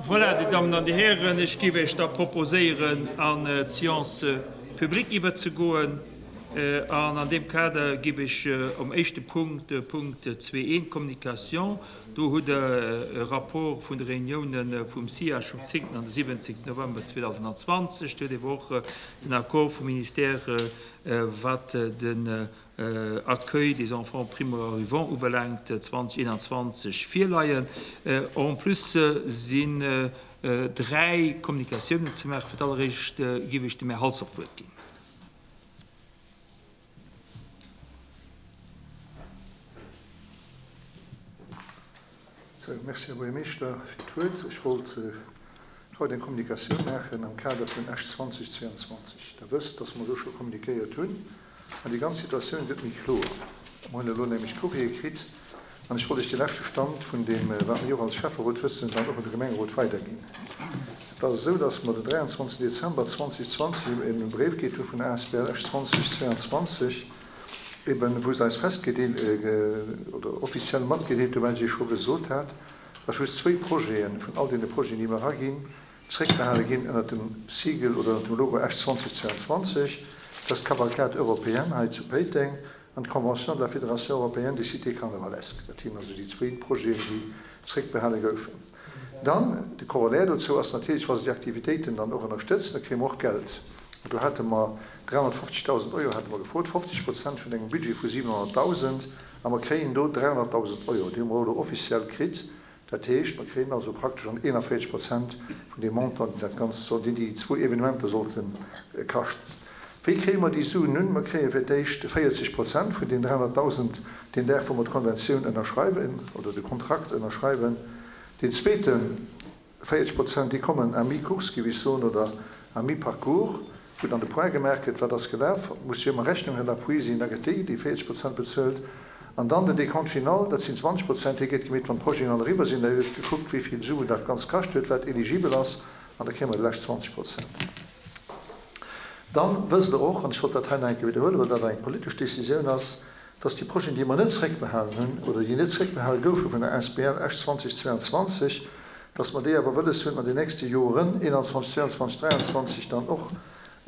Voilà, Dir Dammen an Dir Hären, ech géif Iech da proposéieren, an d'Séance publique iwwerzegoen. An an deem Kader géif ech um éischte Punkt, de Punkt 2.1, Communication, do hutt Der e Rapport vun de Reuniounen vum SIAG vum 10. an de 17. November 2020. Do hutt Der awer och den Accord vum Ministère, wat den Accueil des enfants primo-arrivants ubelaangt, 2021 virleien. En plus sinn dräi Kommunikatiounen ze maachen. Fir d'alleréischt géif ech dem Här Halsdorf d'Wuert ginn. Merci, Här Buergermeeschter, fir d'Wuert. Ech wollt haut eng Kommunikatioun maachen am Kader vun Esch 2022. Der wësst, dass mer do scho kommunikéiert hunn an déi ganz Situatioun gëtt méi kloer. Mer hunn elo nämlech Courrier kritt an ech wollt Iech de leschte Stand vun deem, wat mir och als Schäfferot wëssen, dann och un de Gemengerot weiderginn. Et ass esou, dass mer den 23 Dezember 2020 e Bréif kritt hu vun der asbl Esch 2022, eben wou se eis festgedeelt oder offiziell matgedeelt hunn, wat ech Iech scho gesot hat, dass just zwéi Projete vun all deene Projeten, déi mer eraginn, zréckbehale ginn ënnert dem Siegel oder ënnert dem Logo Esch 2022, dat ass d'Cavalcade européenne hei zu Péiteng an d'Convention de la Fédération européenne des cités carnavalesques. Dat sinn also déi zwéi Projeten, déi zréckbehale goufen. Dann, de Corollaire dozou ass natierlech, wa se déi Aktivitéiten dann och ënnerstëtzen, da kréie mer och Geld. An do hate mer 350.000 Euro hate mer gefrot, 50 Prozent vun engem Budget vu 700.000, a mer kréien do 300.000 Euro. Déi hu mer elo offiziell kritt. Dat heescht, mer kréien also praktesch an 41 Prozent vun deem Montant, deen dat Ganzt soll, deen déi zwou Evenementer sollte kaschten. Wéi kréie mer déi Suen nun? Mer kréie fir d'éischt 40 Prozent vun deenen 300.000 deen Dag, wou mer d'Konventioun ënnerschreiwen oder de Kontrakt ënnerschreiwen. Deen zweete 40 Prozent, déi kommen à mi-course, géif ech soen, oder à mi-parcours, wou dann de Point gemaach gëtt, wat ass gelaf, muss jo ëmmer Rechnung à l'appui sinn, da gëtt déi, déi 40 Prozent bezuelt. An dann den Décompte final, dat sinn 20 Prozent, dee gëtt gemeet, wann d'Projeten all eriwwer sinn, da gëtt gekuckt, wéi vill Suen dat Ganzt kascht huet, wat eligibel ass, an da kréie mer déi lescht 20 Prozent. Dann wësst Der och, an ech wollt dat hei nach eng Kéier widderhuelen, well dat eng politesch Décisioun ass, dass déi Projeten, déi mer net zréckbehalen hunn oder déi net zréckbehale goufe vun der asbl Esch 2022, dass mer déi awer wëlles hunn an den nächste Joren, 21, 22, 23, dann och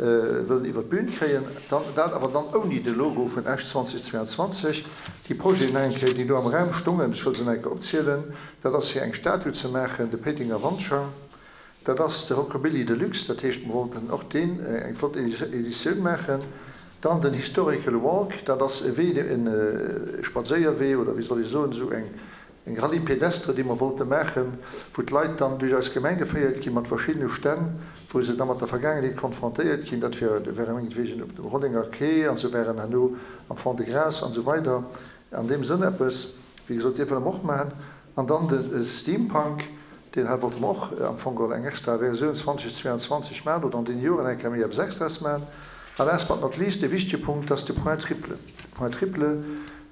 wëllen iwwert d'Bün kréien, dann dat awer dann ouni de Logo vun Esch 2022. Déi Projeten nach eng Kéier, déi do am Raum stongen, ech wëll se nach eng Kéier opzielen, dat ass fir eng Statue ze maachen, de Péitenger Wandschang, Dat ass de Rockabilly Deluxe, dat heescht mer wollten och deen eng flott Editioun maachen. Dann den Historical Walk, dat ass e Wee, e Spadséierwee oder wéi soll ech soen, esou eng Rallye pédestre, déi mer wollte maachen, wou d'Leit dann duerch eis Gemeng geféiert gi mat verschiddene Stänn, wou se da mat der Vergaangenheet konfrontéiert ginn. Dat wäre mengetwegen op dem Rollenger Quai an se wären herno am Fond-de-Gras an esou weider. An deem Sënn eppes, wéi gesot, dee wëlle mer och maachen. An dann de Steampunk, deen hei wollte mer och am Fong geholl eng extra Versioun 2022 maachen oder an deene Joren eng Kéier méi eppes Extraes maachen. A last but not least, dee wichtege Punkt, dass de Point triple. De Point triple,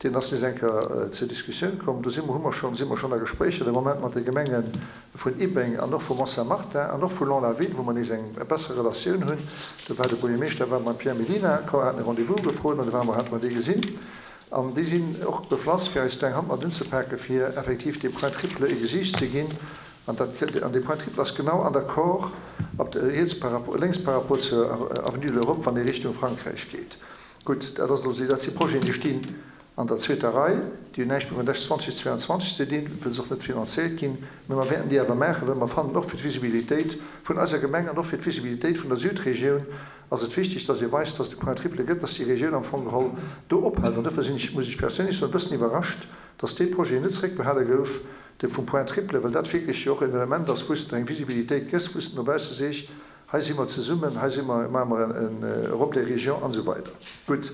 deen ass nees eng Kéier zur Diskussioun komm. Do si mer, hu mer schonn, si mer schonn a Gespréicher de Moment mat de Gemenge vun Ibbeng an och vu Mont-Saint-Martin an och vu Lons-la-Ville, wou mer nees eng besser Relatioun hunn. Do war de Buergermeeschter war mam Pierre Mellina komm, haten e Rendez-vous gefrot an do ware mer, hate mer dee gesinn. An déi sinn och beflass, fir eis do eng Hand mat unzepake fir effektiv deem Point triple e Gesiicht ze ginn. An dat, an dee Point triple ass genau an der Kor op der, riets par rapport, lénks par rapport zur Avenue de l'Europe, wann ee Richtung Frankräich geet. Gutt, dat ass elo, dat si Projeten, déi stinn an der zweeter Rei, déi hunn näischt méi mat Esch 2022 ze dinn, wëll se och net finanzéiert ginn. Mä mer wäerten déi awer maachen, well mer fannen, och fir d'Visibilitéit vun eiser Gemeng an och fir d'Visibilitéit vun der Südregioun, ass et wichteg, dass ee weist, dass et de Point triple gëtt, dass déi Regioun am Fong geholl do ophält. An dofir sinn ech, muss ech perséinlech soen, e bëssen iwwerrascht, dass dee Projet net zréckbehale gouf, dee vum Point triple, well dat wierklech jo och en Element ass, wou s de eng Visibilitéit gëss, wou s de no bausse seech, hei si mer zesummen, hei si mer, maache mer en Europe des régions an esou weider. Gutt.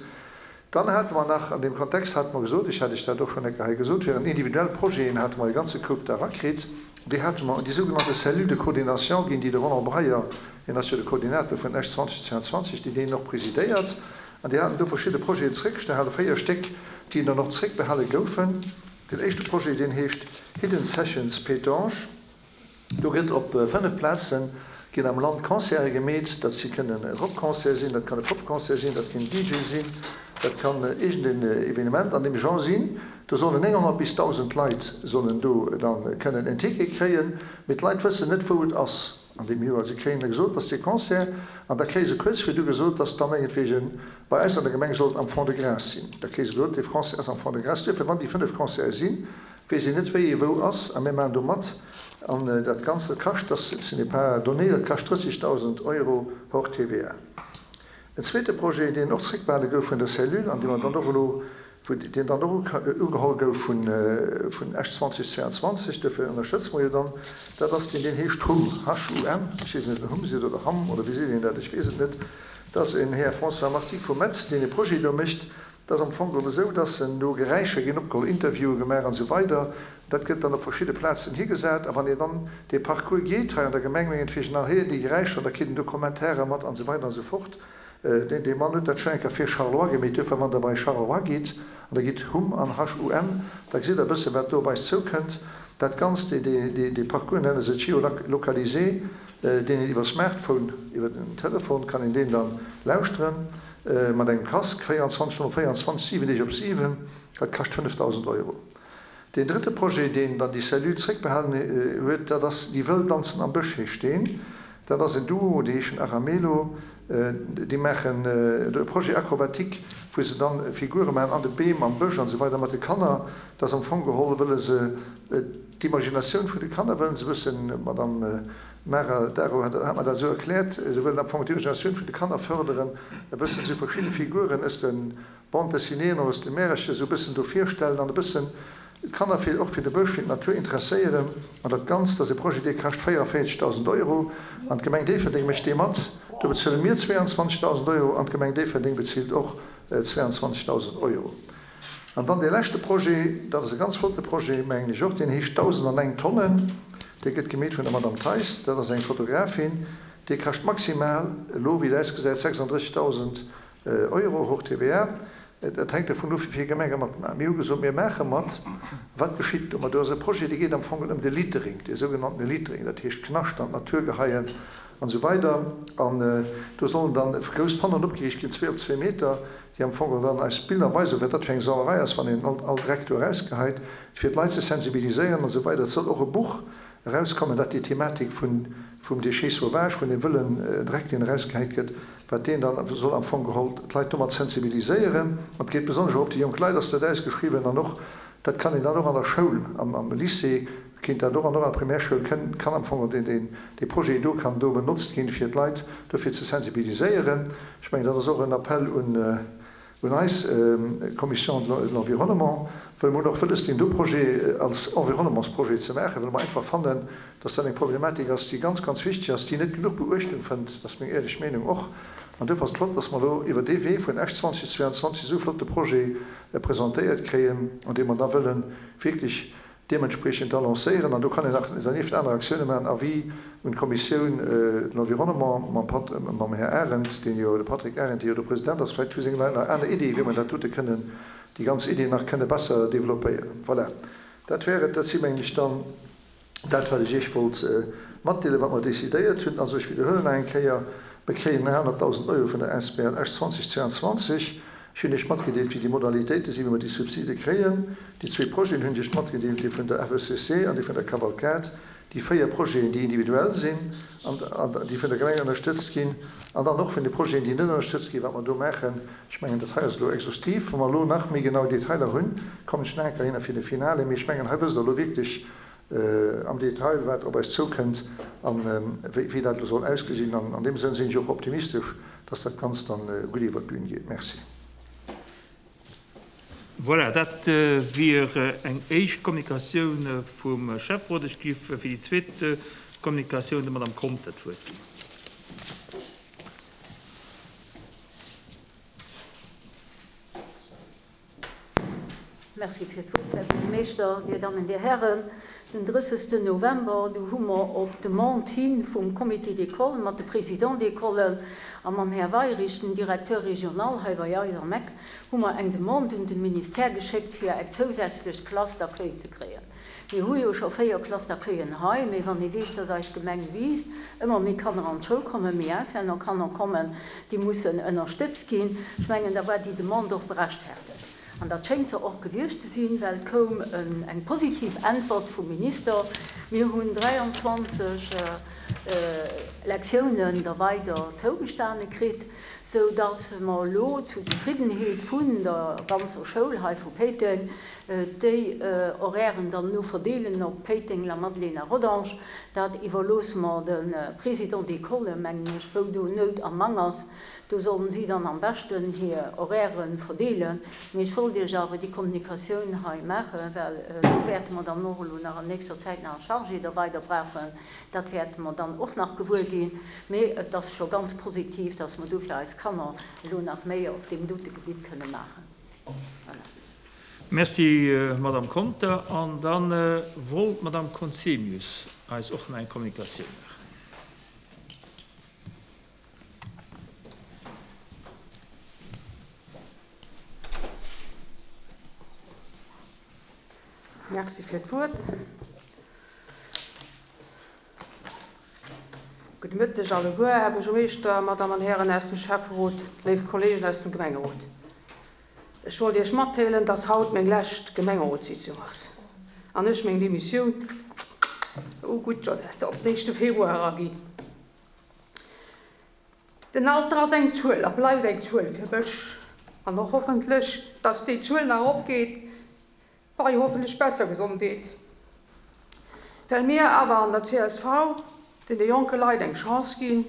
Dann hate mer nach, an deem Kontext hate mer gesot, ech hat Iech dat och schonn eng Kéier hei gesot, während individuell Projeten hate mer e ganze Koup da erakritt, déi hate mer un déi sougenannte Cellule de coordination ginn, déi de Roland Breyer, hien ass jo de Koordinator vun Esch 2022, déi deen och presidéiert, an déi haten do verschidde Projeten zréckgehalen, véier Stéck, déi dann och zréckbehale goufen. Den éischte Projet, deen heescht Hidden Sessions Pétange. Do gëtt op 5 Plaze ginn am Land Concerte gemeet. Dat si kënnen Rockconcerte sinn, dat kann e Popconcert sinn, dat kann en DJ sinn, dat kann iergend en Evenement an deem Genre sinn. Do sollen 900 bis 1.000 Leit sollen do dann kënnen en Ticket kréien, mee d'Leit wëssen net wou et ass an deem Joer. Se kréien da gesot, dass dee Concert, an da kréie se kuerz virdu gesot, dass da mengetwegen bei eis an der Gemeng sollt am Fond-de-Gras sinn. Da kréie se gesot, dee Concert ass am Fond-de-Gras. Duerfir, wann déi 5 Concerte sinn, weess een net wéi ee wou ass a mir maachen do mat. An dat Ganzt, dat kascht, das ce n'est pas donné, dat kascht 30.000 Euro hors TVA. En zweete Projet, deen och zréckbehale gouf vun der Cellule an dee mer dann och elo, wou deen dann och ugeholl gouf vun Esch 2022, duerfir ënnerstëtze mer jo dann, dat ass deen, deen heescht hum, H-U-M, ech weess net, ob en Hum seet oder Ham oder wéi seet een dat, ech weess et net, dat ass en Här François Marty vu Metz, deen e Projet do mécht. Dat ass am Fong geholl esou, dass en do Geräischer ginn opgeholl, Interviewe gemaach an esou weider. Dat gëtt dann op verschidde Plazen higesat a wann een dann dee Parcours geet hei an der Gemeng, mengetwegen, dann héiert een déi Geräischer an da kritt een do Kommentairer mat an esou weider an esou fort. Deen Mann huet dat schonn eng Kéier fir Charleroi gemeet. Duerfir, wann Der bei Charleroi gitt an Der gitt hum an HUM, da gesitt Der e bësse wat do op eis zoukënnt. Dat Ganzt, dee Parcours nenne se géolocalisé, deen een iwwer Smartphone, iwwer den Telefon kann een deen dann lauschteren mat engem Casque, 24 Stonnen op 24, 7 Deeg op 7. Dat kascht 5.000 Euro. Deen drëtte Projet, deen dann déi Cellule zréckbehalen huet, dat ass Déi Wëll danzen am Bësch heescht deen. Dat ass en Duo, déi heeschen Aramelo. Déi maachen do e Projet acrobatique, wou se dann Figure maachen an de Beem, am Bësch an esou weider mat de Kanner. Dat ass am Fong geholl, wëlle se d'Imaginatioun vun de Kanner wëllen se e bëssen, d'Madame Mara Daro hat mer dat esou erkläert, se wëllen am Fong d'Imaginatioun vun de Kanner fërderen, e bëssen esou verschidde Figuren aus de Bande dessinéeën och aus de Märercher esou e bëssen do virstellen an e bëssen d'Kanner fir och fir de Bësch, fir d'Natur interesséieren. An dat Ganzt ass e Projet, dee kascht 44.000 Euro an d'Gemeng Déifferdeng mécht dee mat. Do bezuele mir 22.000 Euro an d'Gemeng Déifferdeng bezilt och 22.000 Euro. An dann dee leschte Projet, dat ass e ganz flotte Projet, mengen ech och, deen heescht 1001 Tonnen. Dee gëtt gemeet vun der Madame Theis, dat ass eng Fotografin. Dee kascht maximal elo, wéi et ausgesäit, 36.000 Euro, hors TVA. Dat hänkt dovun of, wéi vill Gemenge matmaachen. Mir hu gesot, mir maache mat. Wat geschitt domat? Do ass e Projet, dee geet am Fong ëm de Littering, dee sougenannte Littering, dat heescht Knascht an d'Natur geheien an esou weider. An do sollen dann grouss Pannoen opgeriicht ginn, zwee op zwee Meter, déi am Fong dann eis Biller weisen, wat dat fir eng Sauerei ass, wann een all Dreck do erausgeheit, fir d'Leit ze sensibiliséieren an esou weider. Et soll och e Buch erauskommen, dat déi Thematik vum Déchet sauvage, vun deem wëllen Dreck, deen erausgehäit gëtt, wat deen dann soll am Fong geholl d'Leit domat sensibiliséieren. An et geet besonnesch och op déi jonk Leit ass dat ausgeschriwwen an och dat kann een dann och an der Schoul, am Lycée kéint dat och an och an der Primärschoul kënn, kann am Fong deen, deen, dee Projet do kann do benotzt ginn, fir d'Leit dofir ze sensibiliséieren. Ech mengen, dat ass och en Appell un, Un eis Commission de l'Environnement, well mer hunn och wëlles, deen do Projet als Environnementsprojet ze maachen, well mer einfach fannen, dass dat eng Problematik ass, déi ganz, ganz wichteg ass, déi net genuch Beuechtung fënnt. Dat ass meng éierlech Meenung och. An duerfir ass et flott, dass mer elo iwwer dee Wee vun Esch 2022 esou e flotte Projet presentéiert kréien, an dee mer da wëlle wierklech deementspriechend da lancéieren. An do kann een nach dernieft aner Aktioune maachen, Avis un d'Kommissioun de l'Environnement mam Pat, mam Här Arendt, deen jo, de Patrick Arendt, dee jo do President ass. Vläicht hu seng Leit nach aner Iddie wéi mer dat dote kënnen, déi ganz Idee nach kënne besser développéieren. Voilà, dat wär et. Dat si mengen ech dann dat wat ech Iech wollt matdeelen, wat mer decidéiert hunn. Also ech widderhuelen nach eng Kéier, Mir kréien 100.000 Euro vun der Asbl Esch 2022. Ech hunn Iech matgedeelt, wéi déi Modalitéite sinn, wéi mer déi Subside kréien. Déi zwee Projeten hunn ech Iech matgedeelt, dee vun der FECC an dee vun der Cavalcade, déi 4 Projeten, déi individuell sinn an déi vun der Gemeng ënnerstëtzt ginn, an dann och vun de Projeten, déi net ënnerstëtzt ginn, wat mer do maachen. Ech mengen, dat hei ass elo exhaustiv. Wa mer elo nach méi genau Detailer hunn, kommen ech nach eng Kéier hinner fir de Finale. Mee ech mengen, hei wësst Der elo wierklech am Detail, wat op eis zoukënnt a wéi dat elo soll ausgesinn. An an deem Sënn sinn ech och optimistesch, dass dat Ganzt dann gutt iwwert d'Bün geet. Merci. Voilà, dat wier eng éischt Kommunikatioun vum Schäfferot. Ech géif fir déi zweet Kommunikatioun der Madame Conter d'Wuert ginn. Merci fir d'Wuert, Här Buergermeeschter, Dir Dammen, Dir Hären. Den 30. November, du hu mer op Demande hi vum Comité d'école mat de Présidents d'écolen a mam Här Weyrich, dem Directeur régional hei bei eis am Eck, hu mer eng Demande un de Ministère geschéckt, fir eng zousätzlech Classe d'accueil ze kréien. Mir hu jo scho 4 Classes d'accueillen hei, mee wann ee weess, dass eis Gemeng wiisst, ëmmer méi Kanner an d'Schoul kommen, méi Auslännerkanner kommen, déi mussen ënnerstëtzt ginn, ech mengen, da war déi Demande och berechtfertegt. An dat schéngt se och gewiescht ze sinn, well et koum eng positiv Äntwert vum Minister. Mir hunn 23 Lektiounen da weider zougestane kritt, sou dass mer elo zu Zefriddenheet vun der ganzer Schoul hei vu Péiteng déi Horairen dann elo verdeelen op Péiteng, Lamadelaine a Rodange. Dat iwwerloosse mer de Présidents d'école, mengen ech, wou do Nout am Mang ass. Do sollen si dann am beschten hir Horairen verdeelen. Mee ech wollt Iech awer déi Kommunikatioun hei maachen, well do wäerte mer dann och elo nach an nächster Zäit nach e Chargé da weider brauchen. Dat wäerte mer dann och nach gewuer ginn. Mee et ass scho ganz positiv, dass mer do fir eis Kanner elo nach méi op deem dote Gebitt kënne maachen. Voilà. Merci, Madamm Conter. An da wollt d'Madamm Conzemius eis och nach eng Kommunikatioun maachen. Merci fir d'Wuert. Gudde Mëtteg alleguer, Här Buergermeeschter, Madame an Hären aus dem Schäfferot, léif Kollegen aus dem Gemengerot. Ech wollt Iech matdeelen, dass haut meng lescht Gemengerotssitzung ass an ech meng Demissioun, oh gutt Josette, op den éischte Februar eraginn. Den Alter ass eng Zuel a bleift eng Zuel fir mech an och hoffentlech, dass déi Zuel nach eropgeet bei hoffentlech besser Gesondheet. Well mir awer an der csv deene jonke Leit eng Chance ginn,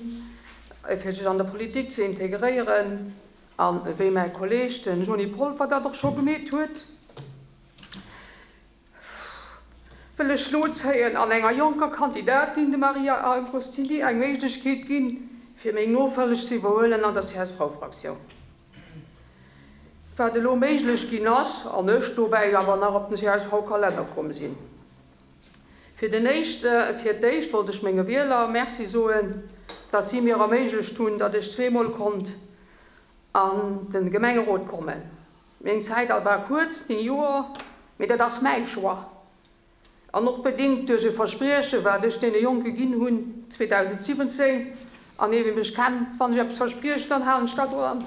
fir sech an der Politik ze integréieren an wéi mäi Kolleg, den Jhony Polfer, dat och scho gemeet huet, wëll ech lo zéien an enger jonker Kandidatin, dem Maria Agostini, eng Méiglechkeet ginn, fir meng Nofolleg ze iwwerhuelen an der CSV-Fraktioun. Wat elo méiglech ginn ass, an ech dobäi awer nach op den CSV-Kalenner komm sinn. Fir den éischte, fir d'éischt wollt ech menge Wieler Merci soen, datt si mir erméiglecht hunn, datt ech zweemol konnt an de Gemengerot kommen. Meng Zäit war kuerz, 9 Joer, mee dat ass mäi Choix an och bedingt duerch e Versprieche wat ech deene Jonke ginn hunn 2017. An ee wie mech kennt, wann ech eppes versprieche, dann halen ech dat och an.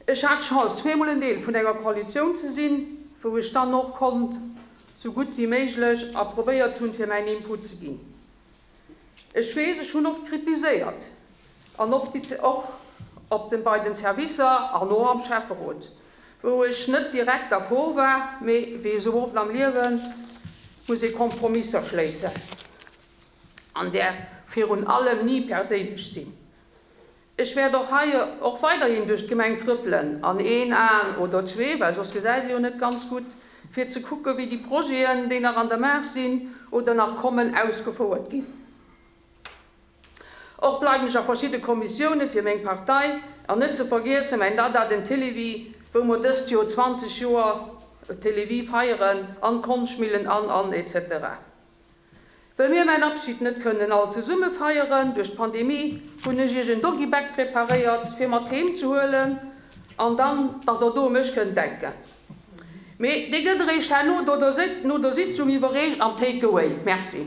Ech hat d'Chance zweemol en Deel vun enger Koalitioun ze sinn, wou ech dann och konnt sou gutt wéi méiglech a probéiert hunn fir mäin Input ze ginn. Ech weess, ech hunn oft kritiséiert, an och op den, bei den Servicer an och am Schäfferot, wou ech net direkt d'accord war, mee wéi esou oft am Liewe muss ee Kompromisser schléissen an däerf virun allem ni perséinlech sinn. Ech wäert och hei och weiderhin duerch d'Gemeng trëppelen, an een Aen oder zwee, well soss gesäit ee jo net ganz gutt, fir ze kucken, wéi déi Projeten, déi nach an der Maach sinn oder nach kommen, ausgefouert ginn. Och bleiwen ech a verschidde Kommissiounen fir meng Partei, an net ze vergiessen mäin Dada, den Télévie, wou mer dëst Joer 20 Joer Télévie feieren, an d'Konschtmillen an, an, etc. Well mir mäin Abschid net kënnen all zesumme feieren duerch d'Pandemie, hunn ech iech en Doggybag preparéiert fir mat heem ze huelen an dann dass der do u mech kënnt denken. Mee dee gëtt eréischt herno no der Sitzung iwwerreecht am Take Away. Merci.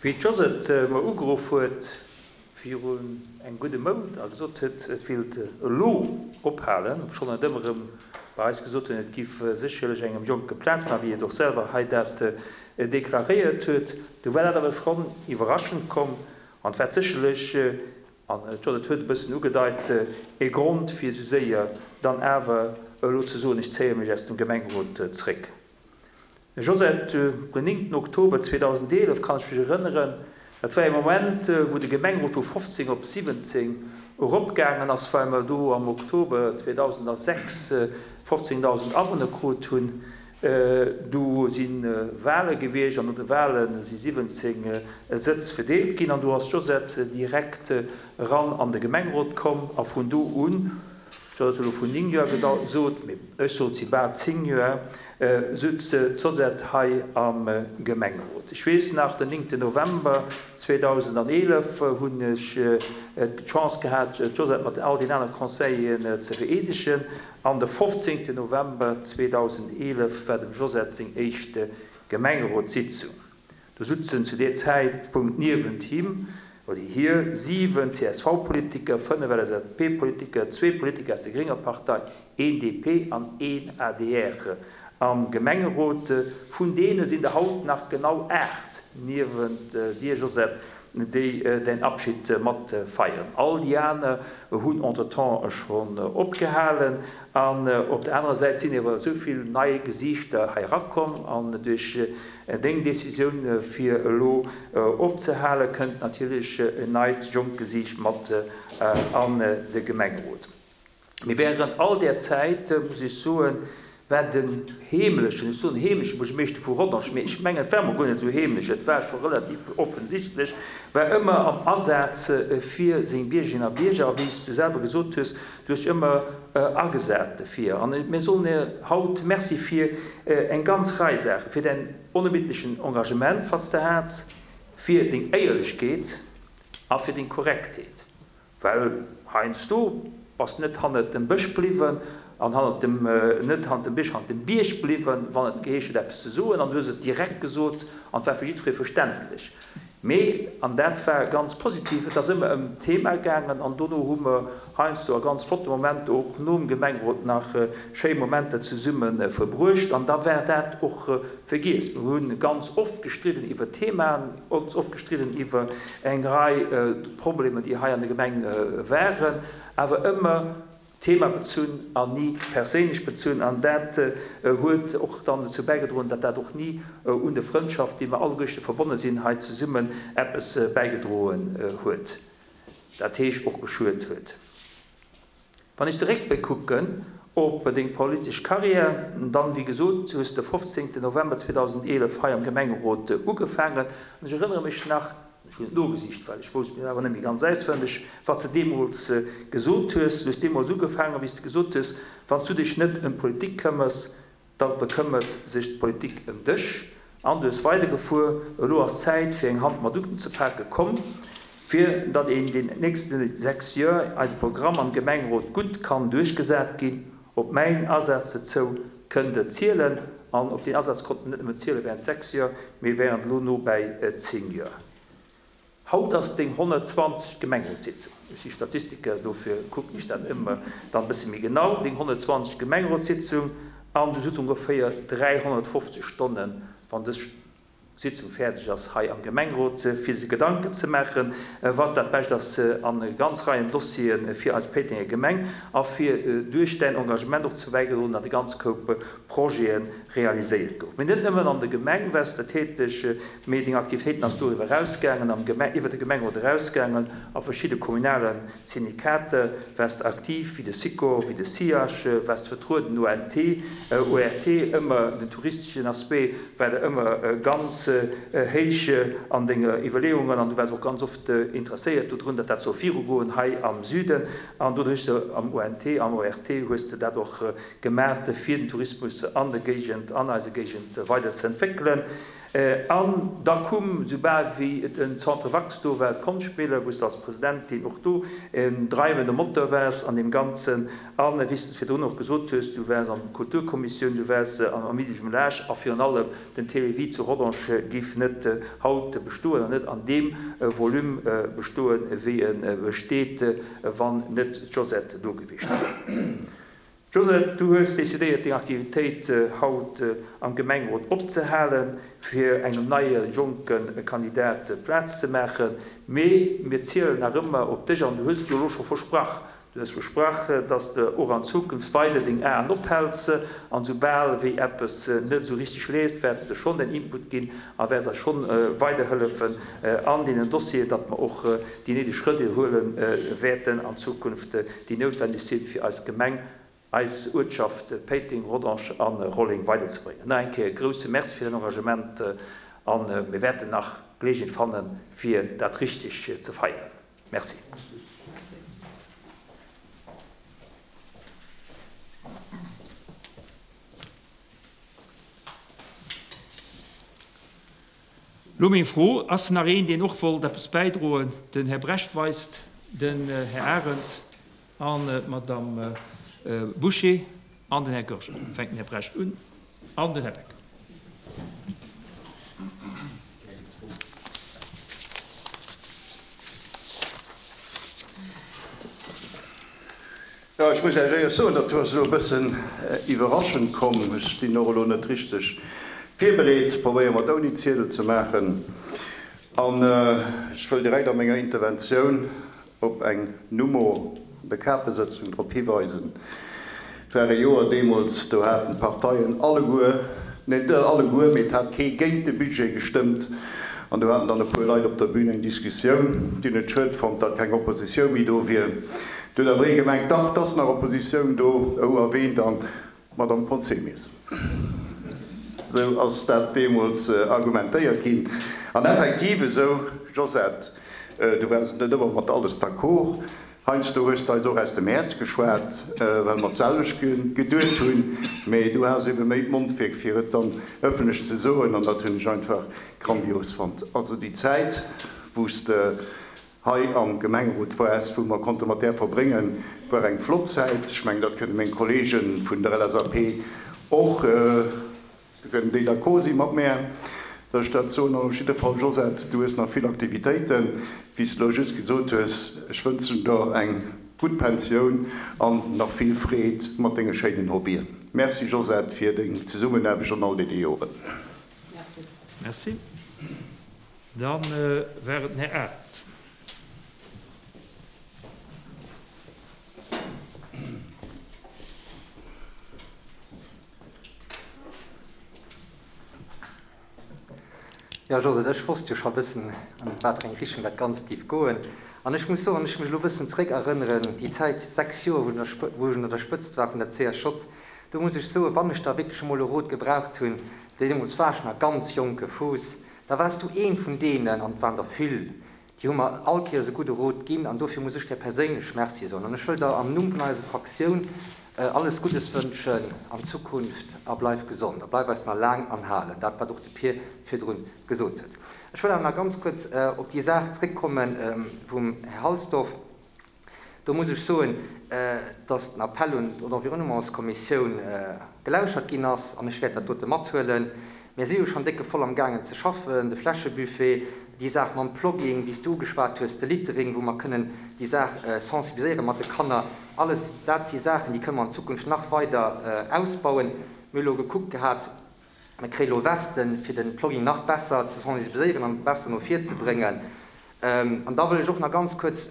Wéi d'Josette mer ugeruff huet virun engem gudde Mount a gesot huet, et wéilt elo ophalen, obschonn et ëmmer erëm bei eis gesot hunn, et giff sécherlech engem Jonke Plaz maachen, wéi et och selwer hei dat deklaréiert huet, du war dat awer schonn iwwerraschend komm an et war sécherlech, an d'Josette huet e bëssen ugedeit, e Grond fir esou séier dann awer elo ze soen, ech zéie mech aus dem Gemengerot zréck. Josette, Den 9 Oktober 2011 kann ech mech erënneren, dat war ee Moment, wou de Gemengerot vu 15 op 17 eropgaangen ass, well mer do am Oktober 2006 15.000 Awunner krut hunn. Do si Wale gewiescht an no de Wale si 17 Sëtz verdeelt ginn an do ass d'Josette direkt eran an de Gemengerot komm a vun do un, d'Josette huet elo vun 9 Joer gesot, mee ech sot si bal 10 Joer, sutz d'Josette hei am Gemengerot. Ech weess nach, den 9 November 2011 hunn ech d'Chance gehat, d'Josette mat all den anere Conseilleren ze vereedegen. An de 15 November 2011 war dem Josette seng éischt Gemengerotssitzung. Do sutzen zu deer Zäitpunkt niewent him oder hir 7 CSV-Politiker, 5 LSAP-Politiker, zwee Politiker aus der grénger Partei, een DP an een adr am Gemengerot. Vun deene sinn der haut nach genau 8 niewent dir, Josette, déi däin Abschied mat feieren. All déi aner hunn entretemps schonn opgehalen. An op der anerer Säit sinn ewer esou vill nei Gesiichter hei erakomm an duerch deng Decisioun fir elo opzehale kënnt natierlech en neit jonkt Gesiicht mat an de Gemengerot. Mee während all där Zäit, muss ech soen, war den heemlechen, ech soen heemleche Buergermeeschter vu Rodange, mee ech mengen, et war emol guer net esou heemlech, et war scho relativ offensichtlech, war ëmmer am Asaz fir seng Biergerinnen a Bierger. A wéi s du selwer gesot hues, du hues dech ëmmer agesat dofir. An mir soen dir haut Merci fir eng ganz Rei Saachen, fir däin onermiddlechen Engagement, wat s de hats, fir deng Éierlechkeet a fir deng Korrektheet. Well heiansdo bass net hannert dem Bësch bliwwen an hannert dem, net hannert dem Bësch, hannert dem Bierg bliwwen, wann et geheescht huet eppes ze soen, an du hues et direkt gesot an et war fir jiddweree verständlech. Mee, an dat war ganz positiv, et ass ëmmer ëm d'Thema gaangen an dono hu mer heiansdo a ganz flotte Momenter och nom Gemengerot nach schéi Momenter zesumme verbruecht an da war dat och vergiess. Mir hu ganz oft gestridden iwwer Themaen, ganz oft gestridden iwwer eng Rei Problemer, déi hei an der Gemeng waren, awer ëmmer themabezunn an ni perséinlech bezunn. An dat huet och dann dozou bäigedroen, datt dat och ni un de Frëndschaft, déi mer alleguerchte verbonne sinn hei zesummen, eppes bäigedroen huet, dat heescht och geschuet huet. Wann ech de Réckbléck kucken op deng politesch Carrière, dann, wéi gesot, hues de 15 November 2011 hei am Gemengerot ugefaangen. An ech erënnere mech nach, ech hunn et nogesicht, well ech wousst et awer net méi ganz auswenneg, wat s de deemools gesot hues. Du hues deemools ugefaangen, wéi s de gesot hues, Wann s du dech net ëm d'Politik këmmers, Da bekëmmert sech d'Politik ëm dech. An du hues weidergefuer, Elo ass Zäit fir eng Hand mat unzepaken. Komm, fir datt een den nächste 6 Joer eise Programm am Gemengerot gutt kann duerchgesat ginn. Op mäin Asaz dozou kënnt der zielen. An op deen Asaz konnt en net nëmmen ziele während 6 Joer, mee während elo no bäi 10 Joer. Haut ass deng 120. Gemengerotssitzung. Ech si Statistiker, dofir kucken ech dat ëmmer dann e bësse méi genau. Deng 120. Gemengerotssitzung an du sutz ongeféier 350 Stonnen, wann dës Sitzung fäerdeg ass, hei am Gemengerot, fir sech Gedanken ze maachen, wat dat Bescht ass an ganz Reien Dossiere fir eis Péitenger Gemeng a fir duerch däin Engagement och dozou bäigedroen, datt e ganz Koup Projete realiséiert goufen. Mee net nëmmen an der Gemeng waars de täteg, Mee deng Aktivitéiten ass doriwwer erausgaangen, am Geme iwwer de Gemengerot erausgaangen, a verschidde kommunale Syndikater waars de aktiv, wéi de Sikor, wéi de SIAS, waars de vertrueden, ONT, ORT, ëmmer den touristeschen Aspect war der ëmmer ganz héich an denge Iwwerleeungen an du waars och ganz oft interesséiert dodrun, datt dat soll virugoen hei am Süden an doduerch am ONT, am ORT hues de dat och gemat, fir den Tourismus an der Géigend, an eiser Géigend weider ze entwéckelen. An da koum, soubal wéi den Centre Wax do war, d'Konschtspiller, wou s de als Presidentin och do en dreiwende Moteur waars an deem Ganzen. A wéi s de virdrun och gesot hues, du waars an der Kulturkommissioun, du waars am Amis du Jumelage a virun allem den Télévie zu Rodange géif net haut bestoen an net an deem Volume bestoen, wéi e besteet, wann net d'Josette do gewiescht wier. Josette, du hues decidéiert deng Aktivitéit haut am Gemengerot opzehalen, fir engem neie jonke Kandidat Plaz ze maachen. Mee mir zielen nach ëmmer op dech an du hues et jo elo scho versprach. Du hues versprach, dass de och an Zukunft weider deng Aen ophäls an soubal wéi eppes net esou richteg leeft, wäerts de schonn däin Input ginn a wäerts eis schonn weiderhëllefen an deenen Dossieren, datt mer och déi néideg Schrëtt huele wäerten an Zukunft, déi noutwendeg sinn, fir eis Gemeng. eis Uertschaft Péiteng, Rodange a Rolleng weiderzebréngen. Nach eng Kéier e grouse Merci fir däin Engagement a mir wäerten nach Geleegenheet fannen, fir dat richteg ze feieren. Merci. Lo meng Fro, Ass nach een, deen och wollt eppes bäidroen? Den Här Brecht weist, den Här Arendt an d'Madame Bouché an den Här Goergen. Fänkt den Här Brecht un an den Här Becker. Jo, ech muss Iech éierlech soen, dat do ass elo e bëssen iwwerraschend komm. Ech sinn och elo net richteg virbereet. Probéiere mer et ouni Ziedel ze maachen. An ech wëll direkt a menger Interventioun op eng Nummo an der Kapesëtzung drop hiweisen. Et war e Joer deemools, do haten d'Parteien alleguer, nee net alleguer, mee et hat kee géint de Budget gestëmmt. An do haten dann e puer Leit op der Bühn eng Diskussioun. Déi hunn et schued fonnt, datt keng Oppositioun méi do wier. Do huet awer ee gemengt, dach, 't ass nach Oppositioun do. Oh, a ween dann? D'Madame Conzemius. Esou ass dat deemools argumentéiert ginn. An effektiv esou, Josette, du waars net ëmmer mat alles d'accord. Heiansdo hues de eis och aus dem Häerz geschwat, well mer d'selwecht geduet hunn, mee du has ebe méi d'Mondwierk, fir et dann ëffentlech ze soen, an dat hunn ech einfach grandios fonnt. Also déi Zäit, wou s de hei am Gemengerot waars, wou mer konnte mat där verbréngen, war eng flott Zäit. Ech mengen, dat kënne meng Kollege vun der LSAP och. Do kënnen déi d'accord si mat mär, datt ech dat soen. An op jidde Fall, Josette, du hues nach vill Aktivitéiten, wéi s de elo just gesot hues. Ech wënschen der eng gutt Pensioun an nach vill Freed mat denge schéinen Hobbyen. Merci, Josette, fir deng Zesummenaarbecht an all deene Joren. Merci. Da war et den Här Arendt. Jo, Josette, ech wosst jo scho bëssen, an wat fir eng Richtung dat Ganzt géif goen. An ech muss soen, wann ech mech elo bëssen zréck erënneren, déi Zäit, 6 Joer, wou ech un der Spëtzt war vun der CSJ, do muss ech soen, wann ech da wierklech emol e Rot gebraucht hunn, deemools war ech nach ganz jonke Fuuss, da waars du een vun deenen, an et waren der vill, Déi hu mer all Kéiers e gudde Rot ginn an dofir muss ech där perséinlech Merci soen. An ech wëll der am Numm vun eiser Fraktioun alles Guddes wënschen an Zukunft a bleif gesond a bleif eis nach laang anhalen, dat wat och de Pir virdrun gesot huet. Ech wëll awer nach ganz kuerz op déi Saach zréckkomme vum Här Halsdorf. Do muss ech soen, dass den Appell un d'Environnementskommissioun gelauschert ginn ass, an ech wäert dat dote mathuelen. Mir si jo schonn décke voll am gaangen ze schaffen, de Fläschebuffet, déi Saach mam Plogging, wéi s du ugeschwat hues, de Littering, wou mer kënnen déi Saach sensibiliséiere mat de Kanner. Alles dat si Saachen, déi kënne mer an Zukunft nach weider ausbauen. Mir hu lo gekuckt gehat, mir kréie lo Westen, fir de Plogging nach besser ze sensibiliséieren an besser no vir ze bréngen. An da wëll ech och nach ganz kuerz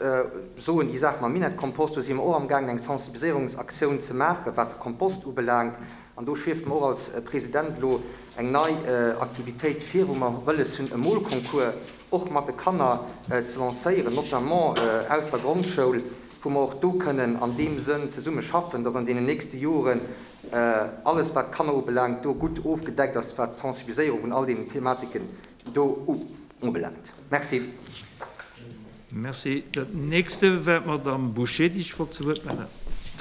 soen, déi Saach mam Minett-Kompost, do si mer och amgaangen eng Sensibiliséierungsaktioun ze maachen, wat de Kompost ubelaangt. An do schwieft mer och als President elo eng nei Aktivitéit vir, wou mer wëlles hunn, e Molconcours och mat de Kanner ze lancéieren, notamment aus der Grondschoul, wou mer och do kënnen an deem Sënn zesumme schaffen, dass an deenen nächste Joren alles, wat d'Kanner ubelaangt, do gutt ofgedeckt ass, wat d'Sensibiliséierung vun all deenen Thematiken do ubelaangt. Merci. Merci. Dat nächste war d'Madame Bouché, déi sech wollt zu Wuert mellen,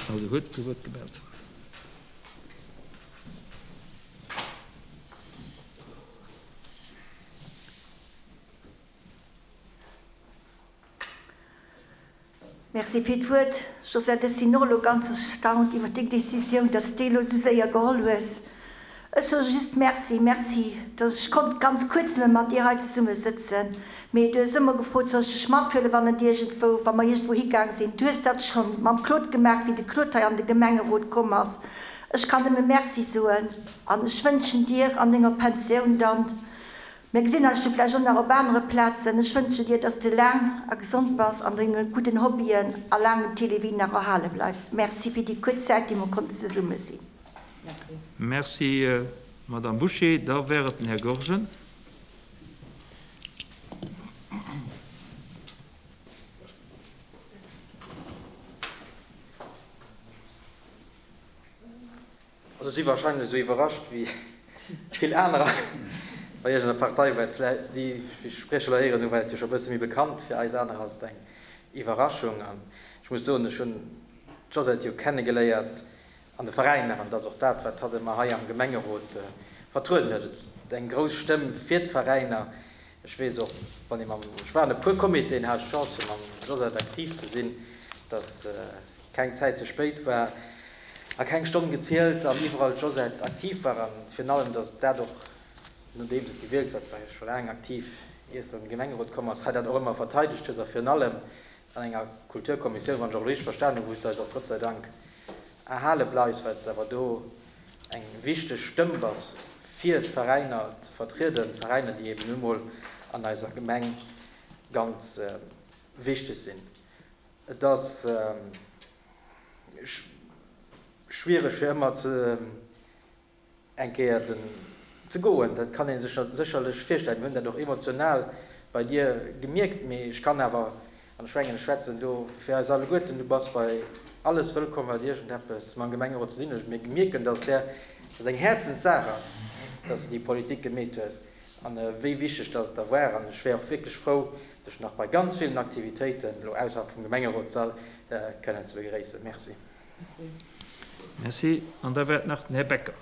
oder huet zu Wuert gemellt. Merci fir d'Wuert, Josette. Ech sinn och elo ganz erstaunt iwwer deng Décisioun, dass s déi elo esou séier geholl hues. Ech soe just Merci, Merci, dass ech konnt ganz kuerz nëmme mat dir hei zesumme sëtzen. Mee du hues ëmmer gefrot, soll ech dech mathuelen, wann et iergendwou, wa mer iergendwou higaang sinn. Du hues dat schonn mam Claude gemaach, wéi de Claude hei an de Gemengerot komm ass. Ech kann nëmme Merci soen an ech wënschen dir an denger Pensioun dann, Mir gesinn eis jo vläicht och nach op anere Plazen. Ech wënschen dir, dass de laang a gesond bass an denge gudden Hobbyen a laang dem Télévie nach erhale bleifs. Merci fir déi kuerz Zäit, déi mer konnten zesumme sinn. Merci, Madame Bouché. Da wär et den Här Goergen. Also ech si wahrscheinlech esou iwwerrascht wéi vill anerer. Bei iech an der Partei war et vläicht, déi ech sprieche elo héieren hunn, war et jo scho e bësse méi bekannt. Fir eis aner ass et eng Iwwerraschung. An ech muss soen, ech hunn d'Josette jo kennegeléiert an de Veräiner, an dat ass och dat, wat hatt ëmmer hei am Gemengerot vertrueden huet, et eng grouss Stëmm fir d'Veräiner. Ech weess och, wann ee mam, ech war an e puer Comitéen, hat ech d'Chance fir mam Josette aktiv ze sinn, datt keng Zäit ze spéit war a keng Stonn gezielt an iwwerall d'Josette aktiv war an virun allem, datt dat och, nodeems et gewielt war, war jo scho laang aktiv, ier se an de Gemengerot komm ass, hei dat och ëmmer verteidegt hues a virun allem an enger Kulturkommissioun, wann ech och elo richteg verstanen hunn, wou s de eis och Gott sei Dank erhale bleifs, well s de awer do eng wichteg Stëmm bass, fir d'Veräiner ze vertrieden, Veräiner, déi eben nu mol an eiser Gemeng ganz wichteg sinn. Et ass schwiereg fir ëmmer ze. eng Kéier den ze goen, dat kann ee sech sécherlech virstellen. Mir hunn dat och emotional bei dir gemierkt, mee ech kann awer, an ech mengen ech schwätzen do fir eis alleguerten, du bass bei alles wëllkomm wat iergendeppes mam Gemengerot ze dinn huet. Mir mierken, dass där, dass eng Häerzenssaach ass, dass de déi Politik gemeet hues an wéi wichteg dass et der war. An ech wär och wierklech frou, dech nach bei ganz villen Aktivitéiten elo ausserhalb vum Gemengerotssall kënnen ze begréissen. Merci. Merci. An da war et nach den Här Becker.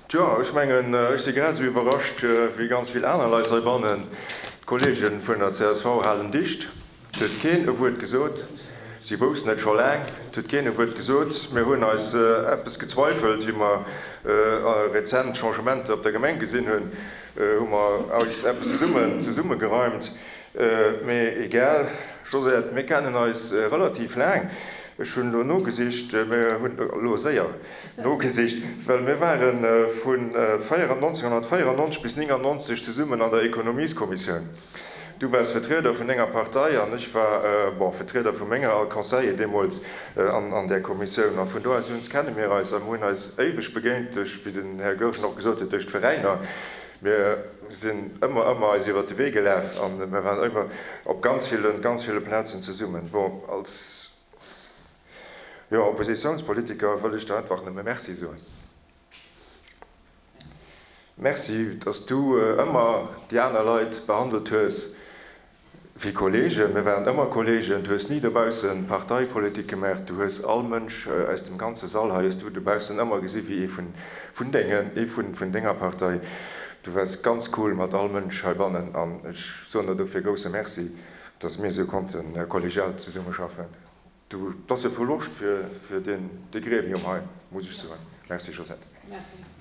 Tjo, ech mengen, ech si grad esou iwwerrascht wéi ganz vill aner Leit heibannen. D'Kollege vun der csv halen dicht. Et huet keen e Wuert gesot. Si woussten et scho laang. Et huet keen e Wuert gesot. Mir hunn eis eppes gezweifelt, wéi mer rezent Changementer op der Gemeng gesinn hunn, hu mer eis eppes zesummen zesummegereimt. Mee egal, Josette, mir kennen eis relativ laang. Ech hunn elo nogesicht, mir hunn elo séier nogesicht, well mir ware vun 1994 bis 99 zesummen an der Ekonomieskommissioun. Du waars Vertrieder vun denger Partei an ech war, bon, Vertrieder vu menger als Conseiller deemools an där Kommissioun. A vun do aus un kenne mir eis a mir hunn eis éiweg begéint duerch, wéi den Här Goergen och gesot huet, duerch d'Veräiner. Mir sinn ëmmer, ëmmer eis iwwert de Wee gelaf a mir waren ëmmer op ganz ville, ganz ville Plazen zesummen. Bon, als, jo, Oppositionspolitiker wëll ech der einfach nëmme Merci soen. Merci, dass du ëmmer déi aner Leit behandelt hues wéi Kollegen. Mir waren ëmmer Kollegen. Du hues ni dobausse Parteipolitik gemaach. Du hues all Mënsch aus dem ganze Sall hei hues du dobaussen ëmmer gesi wéi ee vun dengen, ee vun denger Partei. Du waars ganz cool mat all Mënsch heibannen an ech soen der dofir grousse Merci, dass mir esou konnte kollegial zesummeschaffen. Du, 't ass e Verloscht fir deen, dee Gremium hei, muss ech soen. Merci, Josette. Merci.